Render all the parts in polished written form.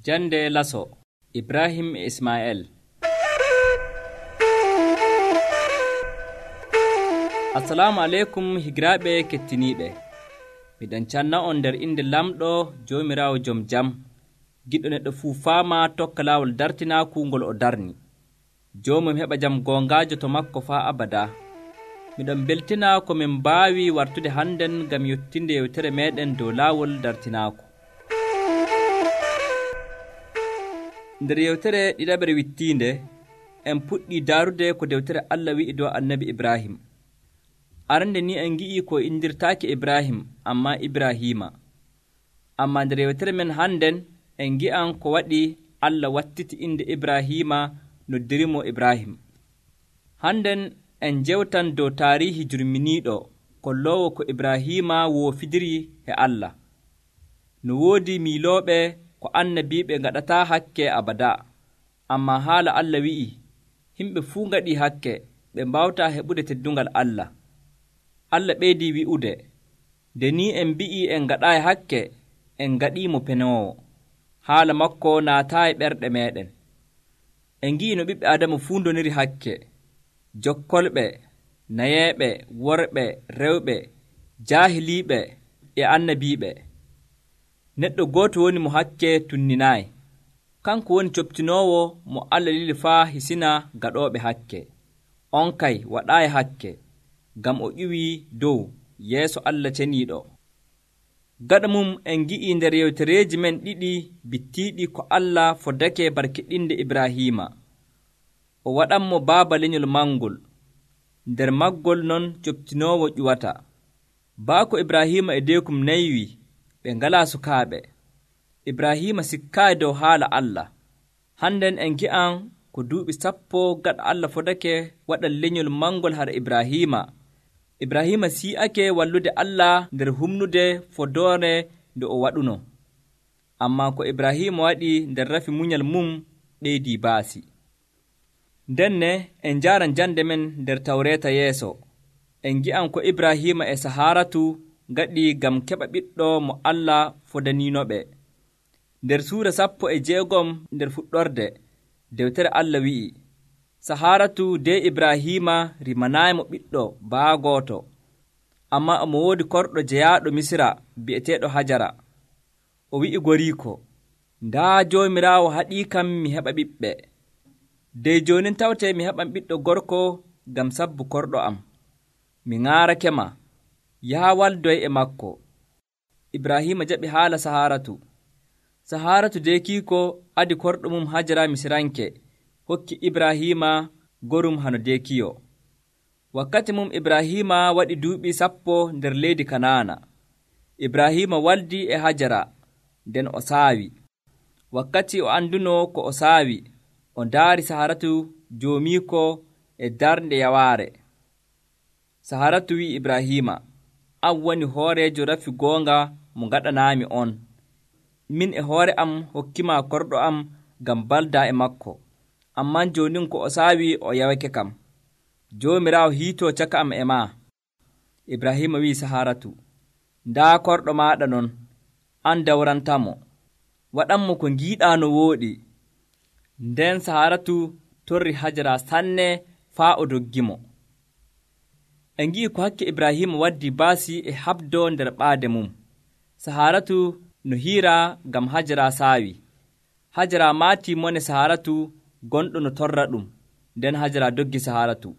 Jande laso Ibrahim e Ismael. Assalamu alaikum higiraaɓe kettiniiɓe. Miɗon canna on nder inde lamɗo Joomiraawo jom jam, giɗɗo neɗɗo fuu faama tokka laawol dartinaaku ngol o darni. Joomum heɓa jam goongaajo to makko faa abada. Miɗon beltina ko min mbaawi wartude hannden ngam yottinde yewtere meeɗen dow laawol dartinaaku. Nder yewtere ɗiɗaɓere wittiinde, en puɗɗii daarude ko dewtere Allah wi'i dow annabi Ibrahim. Arande ni en ngi'i ko indirtaaki Ibrahim ammaa Ibrahima. Ammaa nder yewtere men hannden en ngi'an ko waɗi Allah wattiti inde Ibrahima noddirimo Ibrahim. Hannden en njewtan dow taariihi jurminiiɗo kolloowo ko Ibrahima woofidiri e Allah. No woodi miilooɓe ko annabiiɓe ngaɗataa hakke abada, ammaa haala Allah wi'i himɓe fuu ngaɗii hakke ɓe mbawtaa heɓude teddungal Allah. Allah ɓeydii wi'ude, nde ni en mbi'ii en ngaɗaayi hakke, en ngaɗiimo penoowo. Haala makko naataayi ɓerɗe meeɗen. En ngi'i no ɓiɓɓe Adama fuu ndoniri hakke, jokkolɓe, nayeeɓe, worɓe, rewɓe, jaahiliiɓe e annabiiɓe. Neɗɗo gooto woni mo hakke tunninaayi. Kanko woni coptinoowo mo Allah lili faa hisina gaɗooɓe hakke. On kay waɗaayi hakke, ngam o ƴiwii dow yeeso Allah ceniiɗo. Gaɗa mum en ngi'ii nder yewtereeji men ɗiɗi bittiiɗi ko Allah foddake barkiɗɗinde Ibrahima. O waɗanmo baaba lenyol mangol, nder maggol non coptinoowo ƴuwata. Baako Ibrahima e deekum naywi, ɓe ngalaa sukaaɓe. Ibrahima sikkaayi dow haala Allah. Hannden en gi'an ko duuɓi 10 gaɗa Allah fodake waɗa lenyol mangol har Ibrahima. Ibrahima si'ake wallude Allah nder humnude fodoore nde o waɗuno. Ammaa ko Ibrahima waɗi nder rafi munyal mum ɓeydii baasi. Ndenne en njaaran jande men nder Tawreeta yeeso. En gi'an ko Ibrahima e Sahaaratu ngaɗi ngam keɓa ɓiɗɗo mo Allah fodaniinoɓe. Nder suura 16 nder fuɗɗorde, dewtere Allah wi'i, Sahaaratu de Ibrahima rimanaayimo ɓiɗɗo baa gooto, ammaa omo woodi korɗo jeyaaɗo Misira bi'eteeɗo Hajara. O wi'i goriiko, ndaa Joomiraawo haɗiikam mi heɓa ɓiɓɓe. Dey joonin tawtee mi heɓan ɓiɗɗo gorko ngam sabbu korɗo am. Mi ŋaarakema, yaha waldoy e makko. Ibrahima jaɓi haala Sahaaratu. Sahaaratu deekiiko adi korɗo mum Hajara Misiranke, hokki Ibrahima gorum hano deekiyo. Wakkati mum Ibrahima waɗi duuɓi 10 nder leydi Kanaana. Ibrahima waldi e Hajara, nden o saawi. Wakkati o anduno ko o saawi, o ndaari Sahaaratu joomiiko e darnde yawaare. Sahaaratu wi'i Ibrahima, an woni hooreejo rafi goonga mo ngaɗanaami on. Min e hoore am hokkima korɗo am ngam baldaa e makko. Amman joonin ko o saawi o yawake kam. Joomiraawo hiitoo caka am e maa. Ibrahima wi'i Sahaaratu, ndaa korɗo maaɗa non, an dawrantamo. Waɗanmo ko ngiiɗaa no wooɗi. Nden Sahaaratu torri Hajara sanne faa o doggimo. En ngi'i ko hakke Ibrahima waddi baasi e habdo nder ɓaade mum. Sahaaratu no hiira ngam Hajara saawi. Hajara maatii mone Sahaaratu gonɗo no torra ɗum, nden Hajara doggi Sahaaratu.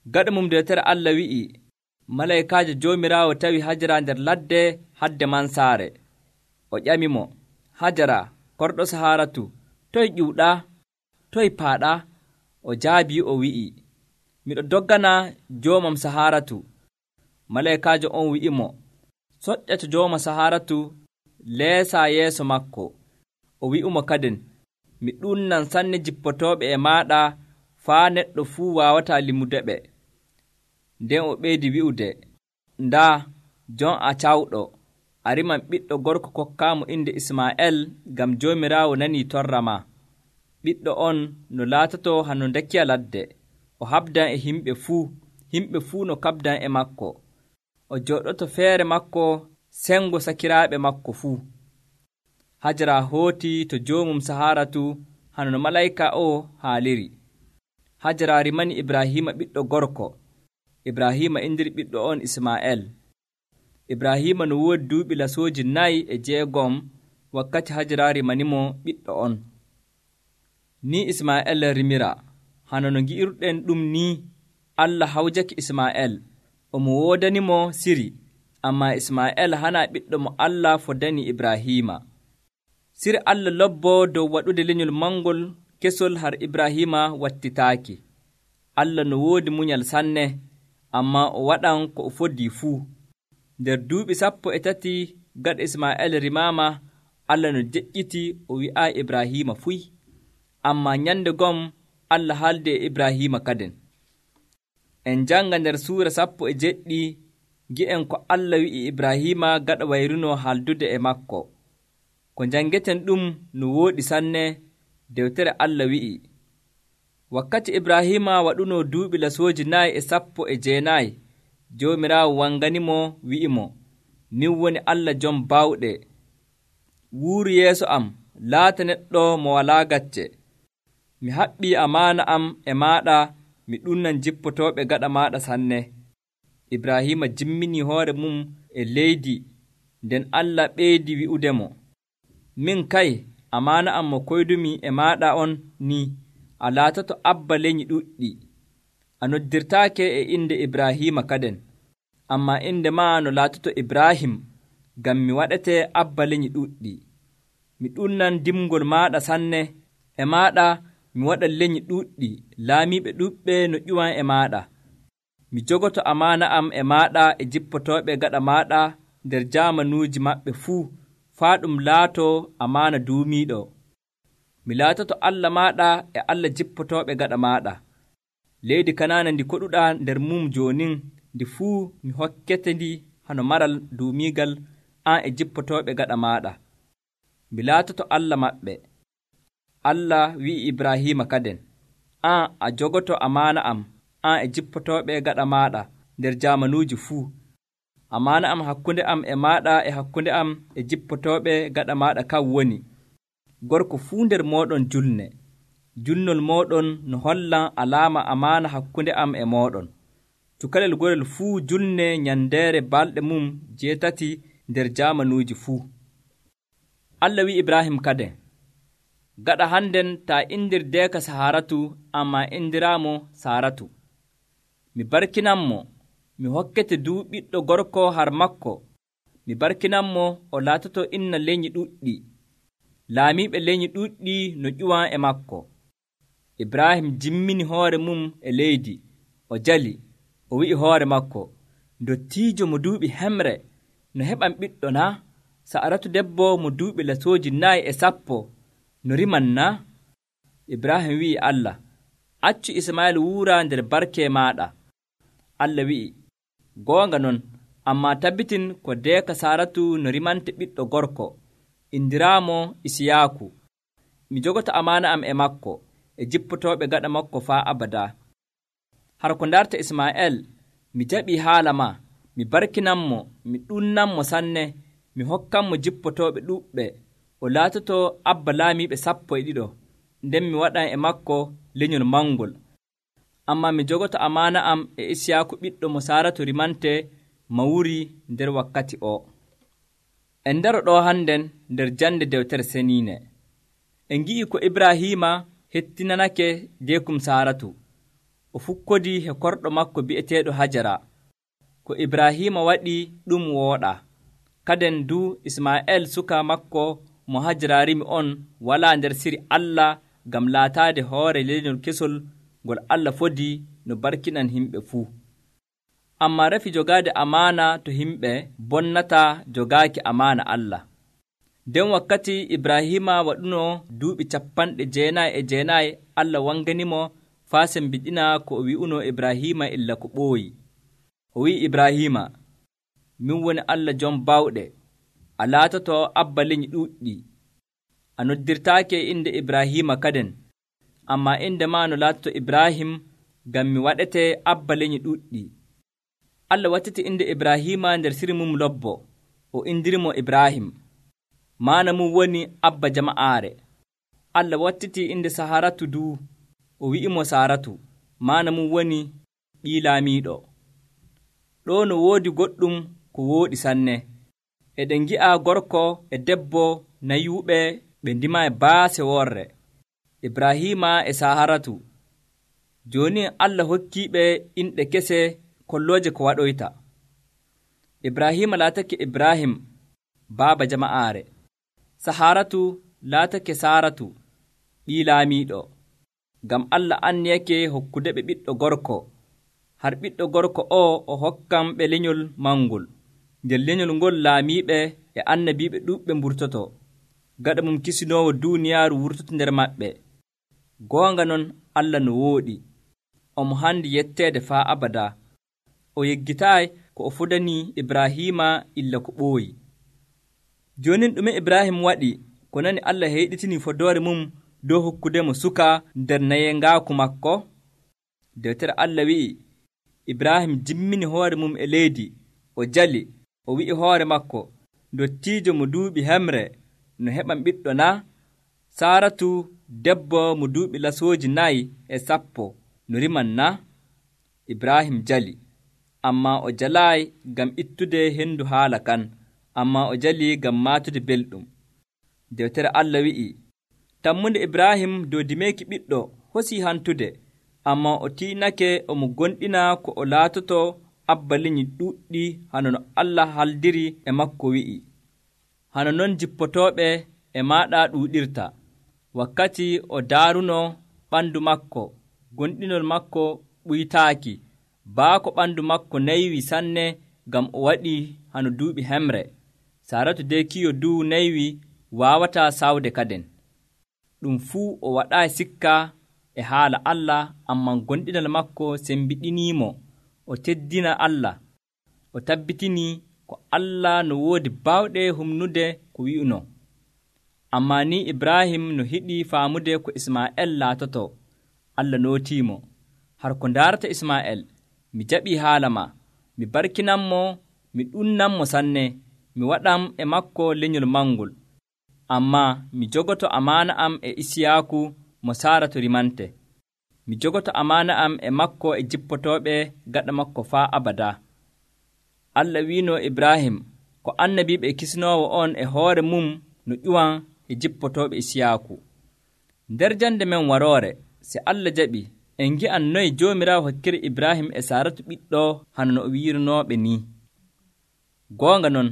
Gaɗa mum dewtere Allah wi'i, malaykaajo Joomiraawo tawi Hajara nder ladde hadde mansaare. O ƴamimo, Hajara, korɗo Sahaaratu, toye ƴiwɗaa? Toye paaɗaa? O jaabii o wi'i, miɗo doggana joomam Sahaaratu. Malaykaajo on wi'imo, soƴƴa to jooma Sahaaratu leesaa yeeso makko. O wi'umo kaden, mi ɗunnan sanne jippotooɓe e maaɗa faa neɗɗo fuu waawataa limudeɓe. Nden o ɓeydi wi'ude, ndaa, jon a cawɗo, a riman ɓiɗɗo gorko kokkaamo inde Ismaa'eel ngam Joomiraawo nanii torra maa. Ɓiɗɗo on no laatoto hano ndekkiya ladde, o habdan e himɓe fuu no kabdan e makko. O jooɗoto feere makko sengo sakiraaɓe makko fuu. Hajara hooti to joomum Saharatu hano no malayka o haaliri. Hajara rimani Ibrahima ɓiɗɗo gorko. Ibrahima indiri ɓiɗɗo on Isma'el. Ibrahima no woodi duuɓi lasooji 4 wakkati Hajara rimanimo ɓiɗɗo on. Ni Isma'el rimira. Hano no ngi'irɗen ɗum ni, Allah hawjaki Isma'el, omo woodanimo siri, ammaa Isma'el hana ɓiɗɗo mo Allah fodani Ibrahima. Siri Allah lobboo dow waɗude lenyol mangol kesol har Ibrahima wattitaaki. Allah no woodi munyal sanne, ammaa o waɗan ko o foddi fuu. Nder duuɓi 13 gaɗa Isma'el rimaama, Allah no deƴƴiti o wi'aa Ibrahima fuy. Ammaa nyande gom Allah haalde e Ibrahima kaden. En janga nder suura 17 gi'en ko Allah wi'i Ibrahima gaɗa wayruno haaldude e makko. Ko jangeten ɗum no wooɗi sanne. Dewtere Allah wi'i, wakkati Ibrahima waɗuno duuɓi lasooji 419, Joomiraawo wanganimo wi'imo, min woni Allah jom baawɗe. Wuuru yeeso am, laata neɗɗo mo walaa gacce. Mi haɓɓii amaana am e maaɗa, mi ɗumnan jippotooɓe gaɗa maaɗa sanne. Ibrahima jimmini hoore mum e leydi, nden Allah ɓeydi wi'udemo, min kay amaana am mo koydumi e maaɗa on ni, a laatoto abba leny'i ɗuɗɗi. A noddirtaake e inde Ibrahima kaden, ammaa inde maa no laatoto Ibrahim, ngam mi waɗete abba leny'i ɗuɗɗi. Mi ɗumnan dimgol maaɗa sanne, e maaɗa mi waɗa leny'i ɗuɗɗi laamiiɓe ɗuɓɓe no ƴuwan e maaɗa. Mi jogoto amaana am e maaɗa e jippotooɓe gaɗa maaɗa nder jaamanuuji maɓɓe fuu, faa ɗum laatoo amaana duumiiɗo. Mi laatoto Allah maaɗa e Allah jippotooɓe gaɗa maaɗa. Leydi Kanaana ndi koɗuɗaa nder mum joonin, ndi fuu mi hokkete ndi hano maral duumiigal an e jippotooɓe gaɗa maaɗa. Mi laatoto Allah maɓɓe. Allah wi'i Ibrahima kaden, an a jogoto amaana am, an e jippotooɓe gaɗa maaɗa nder jaamanuuji fuu. Amaana am hakkunde am e maaɗa e hakkunde am e jippotooɓe gaɗa maaɗa kan woni, gorko fuu nder mooɗon julne. Julnol mooɗon no hollan alaama amaana hakkunde am e mooɗon. Cukalel gorel fuu julne nyandeere balɗe mum 8 nder jaamanuuji fuu. Allah wi'i Ibrahim kaden, gaɗa hannden taa indirdeeka Saharatu, ammaa indiraamo Saratu. Mi barkinanmo, mi hokkete ɓiɗɗo gorko har makko. Mi barkinanmo, o laatoto inna leny'i ɗuɗɗi, laamiiɓe leny'i ɗuɗɗi no ƴuwan e makko. Ibrahim jimmini hoore mum e leydi, o jali, o wi'i hoore makko, ndottiijo mo duuɓi hemre, no heɓan ɓiɗɗo naa? Saratu debbo mo duuɓi lasooji 410, no riman naa? Ibrahim wi'i Allah, accu Isma'il wuura nder barke maaɗa. Allah wi'i, goonga non, ammaa tabbitin ko deeka Saratu no rimante ɓiɗɗo gorko, indiraamo Isiyaaku. Mi jogoto amaana am e makko, e jippotooɓe gaɗa makko faa abada. Har ko ndarta Isma'el, mi jaɓii haala maa, mi barkinanmo, mi ɗunnanmo sanne, mi hokkanmo jippotooɓe ɗuɓɓe, o laatoto abba laamiiɓe 12, nden mi waɗan e makko lenyol mangol. Ammaa mi jogoto amaana am e Isiyaaku ɓiɗɗo mo Saratu rimante mawuri nder wakkati o. En ndaro ɗo hannden nder jande dewtere seniine. En ngi'i ko Ibrahima hettinanake deekum Saratu. O fukkodii he korɗo makko bi'eteeɗo Hajara. Ko Ibrahima waɗi ɗum wooɗa. Kaden du Isma'el suka makko mo Hajara rimi on walaa nder siri Allah ngam laataade hoore lenyol kesol ngol Allah fodi no barkinan himɓe fuu. Ammaa rafi jogaade amaana to himɓe bonnataa jogaaki amaana Allah. Nden wakkati Ibrahima waɗuno duuɓi 99, Allah wanganimo faa sembiɗina ko o wi'uno Ibrahima illa ko ɓooyi. O wi'i Ibrahima, min woni Allah jom baawɗe, a laatoto abba leny'i ɗuɗɗi. A noddirtaake inde Ibrahima kaden, ammaa inde maa no laatoto Ibrahim, ngam mi waɗete abba leny'i ɗuɗɗi. Allah wattiti inde Ibrahima nder siri mum lobbo, o indirimo Ibrahim. maana mum woni abba jama'aare. Allah wattiti inde Saharatu duu, o wi'imo Saaratu, maana mum woni ɓii laamiiɗo. Ɗoo no woodi goɗɗum ko wooɗi sanne. Eɗen ngi'a gorko e debbo nayuuɓe ɓe ndima e baase worre, Ibrahiima e Saharatu. Jooni Allah hokkiiɓe inɗe kese kollooje ko waɗoyta. Ibrahiima laatake Ibrahim, baaba jama'aare. Saharatu laatake Saaratu, ɓii laamiiɗo. Ngam Allah anniyake hokkude ɓe ɓiɗɗo gorko. Har ɓiɗɗo gorko o hokkam ɓe lenyol mangol. Nder lenyol ngol laamiiɓe e annabiiɓe ɗuuɓɓe mburtoto, gaɗa mum kisinoowo duuniyaaru wurtoto nder maɓɓe. Goonga non Allah no wooɗi, omo handi yetteede faa abada. O yeggitaayi ko o fodanii Ibrahiima illa ko ɓooyi. Jooni ɗume Ibrahim waɗi ko nani Allah heyɗitinii fodoore mum dow hokkudemo suka nder nayengaaku makko? Deftere Allah wi'i, Ibrahim jimmini hoore mum e leydi, o jali, o wi'i hoore makko, ndottiijo mo duuɓi hemre, no heɓan ɓiɗɗo na? Saaratu debbo mo duuɓi lasooji 4 no riman na? Ibrahim jali, ammaa o jalaayi ngam ittude hendu haala kan, ammaa o jali ngam maatude belɗum. Deftere Allah wi'i, tammunde Ibrahim dow dimeeki ɓiɗɗo hosii hantude, ammaa o tiinake omo gonɗina ko o laatoto abba lenyol ɗuuɗɗi hano no Allah haldiri e makko wi'i. Hano non jippotooɓe e maaɗa ɗuuɗirta, wakkati o daaruno ɓandu makko, gonɗinol makko ɓuytaaki, baako ɓandu makko naywi sanne ngam o waɗii hano duuɓi hemre. Saaratu de kiyo duu naywi waawataa sawde kaden. Ɗum fuu o waɗaayi sikka e haala Allah, ammaa gonɗinal makko sembiɗiniimo. O teddina Allah, o tabbitinii ko Allah no woodi baawɗe humnude ko wi'uno. Ammaa ni Ibrahim no hiɗii faamude ko Ismaa'eel laatoto, Allah nootiimo. Har ko ndaarata Ismaa'eel, mi jaɓii haala ma, mi barkinanmo, mi ɗunnanmo sanne, mi waɗam e makko lenyol mangol. Ammaa mi jogoto amaana am e Isiyaaku mo Saaratu rimante. Mi jogoto amaana am e makko e jippotooɓe gaɗa makko faa abada. Allah wiino Ibrahim ko annabiiɓe e kisinoowo on e hoore mum no ƴuwan e jippotooɓe Isiyaaku. Nder jande men waroore, se Allah jaɓi, en ngi'an noy Joomiraawo hokkiri Ibrahim e Saaratu ɓiɗɗo hano no o wiiranooɓe ni. Goonga non,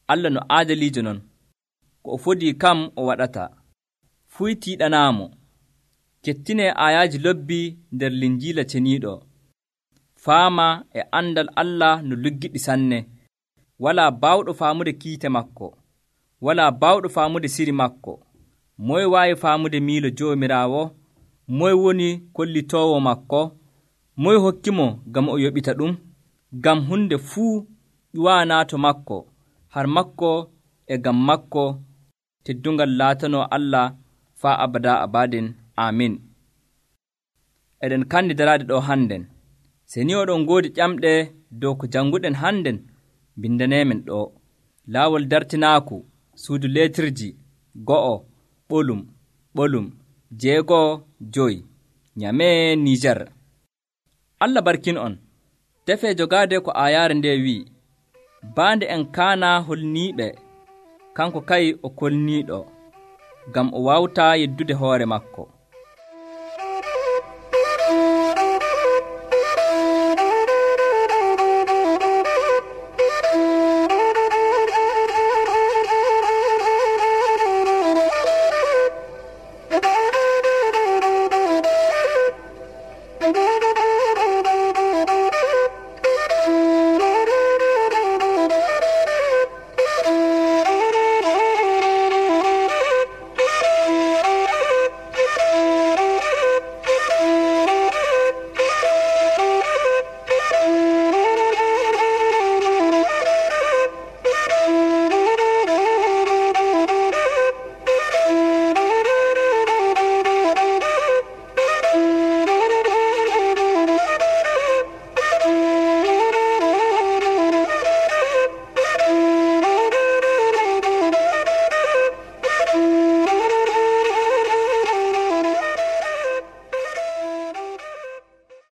Allah no aadaliijo non, ko o fodii kam o waɗata. Fuy tiiɗanaamo. Kettinee aayaaji lobbi nder Linjiila ceniiɗo. Faama e andal Allah no luggiɗi sanne. Walaa baawɗo faamude kiite makko, walaa baawɗo faamude siri makko. Moye waawi faamude miilo Joomiraawo? Moye woni kollitoowo makko? Moye hokkimo ngam o yoɓita ɗum? Ngam hunde fuu ƴuwaanaa to makko, har makko e ngam makko teddungal laatanoo Allah faa abada abaden. Amin. Eɗen kandi daraade ɗo hannden. Se ni oɗon ngoodi ƴamɗe dow ko jannguɗen hannden, bindaneemen ɗo. Laawol dartinaaku, suudu leetirji 1:6:5 Nyamee Niger. Allah barkin on. Tefee jogaade ko aayaare nde wi'i, baande en kaana holniiɓe, kanko kay o kolniiɗo, ngam o waawtaa yeddude hoore makko.